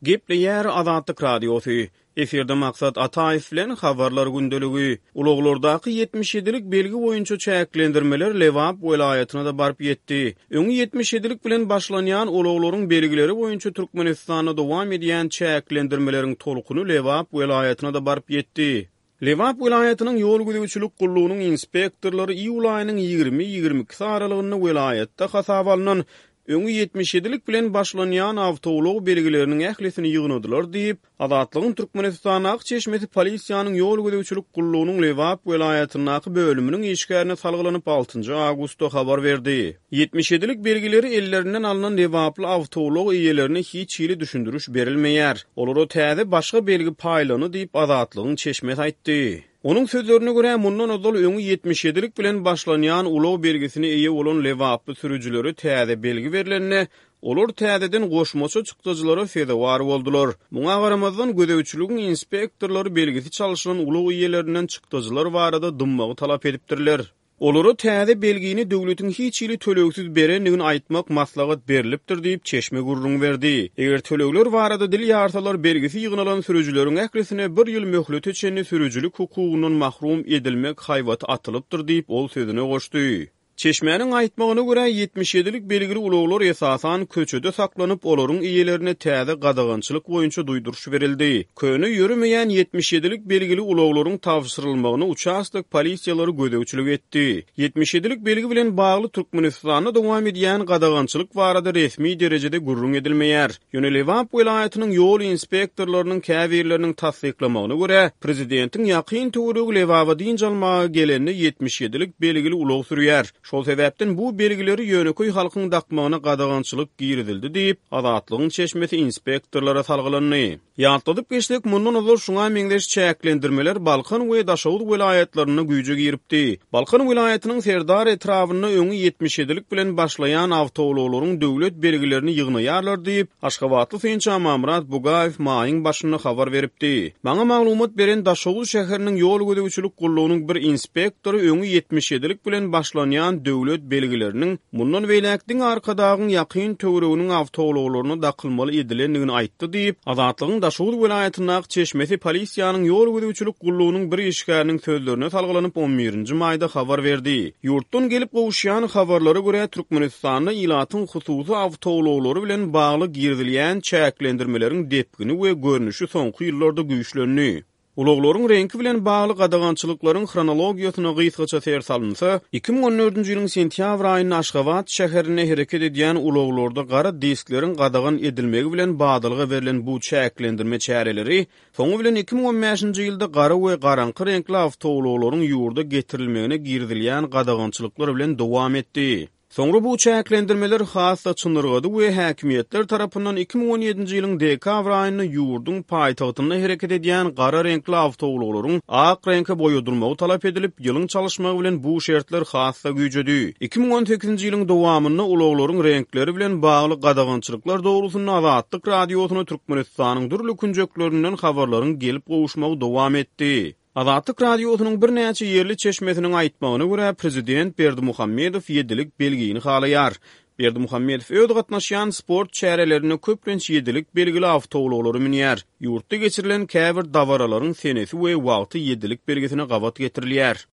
Gepleýär Azatlyk Radiosy. Efirde Maksat Ataýew bilen Habarlar gündeligi. Ulaglardaky 77-lik belgi boýunça çäklendirmeler Lebap welaýatyna-da baryp ýetdi. Öňi 77-lik bilen başlanýan ulaglaryň belgileri boýunça Türkmenistanda dowam edýän çäklendirmeleriň tolkuny Lebap welaýatyna-da baryp ýetdi. Lebap welaýatynyň ýol gözegçilik gullugynyň inspektorlary iýul aýynyň 20, 22-si aralygynda welaýatda hasaba alnan öňi 77-lik bilen başlanýan awtoulag belgileriniň ählisini ýygnadylar diýip, Azatlygyň Türkmenistandaky çeşmesi polisiýanyň ýol gözegçilik gullugynyň Lebap welaýatyndaky bölüminiň işgärine salgylanyp, altynjy awgustda habar berdi. 77-lik belgileri ellerinden alnan lebaply awtoulag eýelerine hiç hili düşündiriş berilmeýär. Olara täze başga belgi paýlandy diýip, Azatlygyň çeşmesi aýtdy. Onuň sözlerine görä, mundan ozal öňi 77-lik bilen başlanýan ulag belgisine eýe bolan lebaply sürüjilere täze belgi berlende, olar täzeden goşmaça çykdajylara sezewar boldular. Muňa garamazdan, gözegçiligiň inspektorlary belgisi çalşylan ulag eýelerinden çykdajylar barada dymmagy talap edipdirler. Olara täze belgini döwletiň hiç hili tölegsiz berendigini aýtmak maslahat berlipdir diýip, çeşme gürrüň berdi. Eger tölegler barada dil ýarsalar, belgisi ýygnalan sürüjileriň ählisine bir ýyl möhlete çenli sürüjilik hukugyndan mahrum edilmek haýbaty atylypdyr diýip, ol sözüne goşdy. Çeşmäniň aýtmagyna görä, 77-lik belgili ulaglar esasan köçede saklanyp, olaryň eýelerine täze gadagançylyk boýunça duýduryş berildi. Köne ýöremeýän 77-lik belgili ulaglaryň tabşyrylmagyna uçastok polisiýalary gözegçilik etdi. 77-lik belgi bilen bagly Türkmenistanda dowam edýän gadagançylyk barada resmi derejede gürrüň edilmeýär. Ýöne Lebap welaýatynyň ýol inspektorlarynyň käbirleriniň tassyklamagyna görä, prezidentiň ýakyn töweregi Lebaba dynç almaga gelende 77-lik belgili ulag sürýär. Şol sebäpden bu belgileri ýönekeý halkyň dakmagyna gadagançylyk girizildi diýip, Azatlygyň çeşmesi inspektorlara salgylandy. Ýatladyp geçsek, mundan ozal şuňa meňzeş çäklendirmeler Balkan we Daşoguz welaýatlarynda güýje giripdi. Balkan welaýatynyň Serdar etrabynda öňi 77-lik bilen başlaýan awtoulaglaryň döwlet belgilerini ýygnaýarlar diýip, aşgabatly synçy Amanmyrat Bugaýew maýyň başynda habar beripdi. Maňa maglumat beren Daşoguz şäheriniň ýol gözegçilik gullugynyň bir inspektory öňi 77-lik bilen başlanýan döwlet belgileriniň mundan beýläk diňe Arkadagyň ýakyn töwereginiň awtoulaglaryna dakylmaly edilendigini aýtdy diýip, Azatlygyň Daşoguz welaýatyndaky çeşmesi polisiýanyň ýol gözegçilik gullugynyň bir işgäriniň sözlerine salgylanyp, on birinji maýda habar berdi. Ýurtdan gelip gowuşýan habarlara görä, Türkmenistanda ilatyň hususy awtoulaglary bilen bagly girizilýän çäklendirmeleriň depgini we görnüşi soňky ýyllarda güýçlendi. Ulaglaryň reňki bilen bagly gadagançylyklaryň hronologiýasyna gysgaça ser salynsa, 2014-nji ýylyň sentýabr aýynda Aşgabat şäherinde hereket edýän ulaglarda gara diskleriň gadagan edilmegi bilen badalga berlen bu çäklendirme çäreleri soňy bilen 2015-nji ýylda gara we garaňky reňkli awtoulaglaryň ýurda getirilmegine girizilýän gadagançylyklar bilen dowam etdi. Soňra bu çäklendirmeler has-da çynyrgady we häkimiýetler tarapyndan 2017-nji ýylyň dekabr aýynda ýurduň paýtagtynda hereket edýän gara reňkli awtoulaglaryň ak reňke boýadylmagy talap edilip, ýylyň çalyşmagy bilen bu şertler has-da güýjedi. 2018-nji ýylyň dowamynda ulaglaryň reňkleri bilen bagly gadagançylyklar dogrusynda Azatlyk Radiosyna Türkmenistanyň dürli künjeklerinden habarlaryň gelip gowuşmagy dowam etdi. Azatlyk Radiosynyň birnäçe ýerli çeşmesiniň aýtmagyna görä, prezident Berdimuhamedow ýedilik belgini halaýar. Berdimuhamedow öz gatnaşýan sport çärelerinde köplenç ýedilik belgili awtoulaglara münýär. Ýurtda geçirilen käbir dabaralaryň senesi we wagty ýedilik belgisine gabat getirilýär.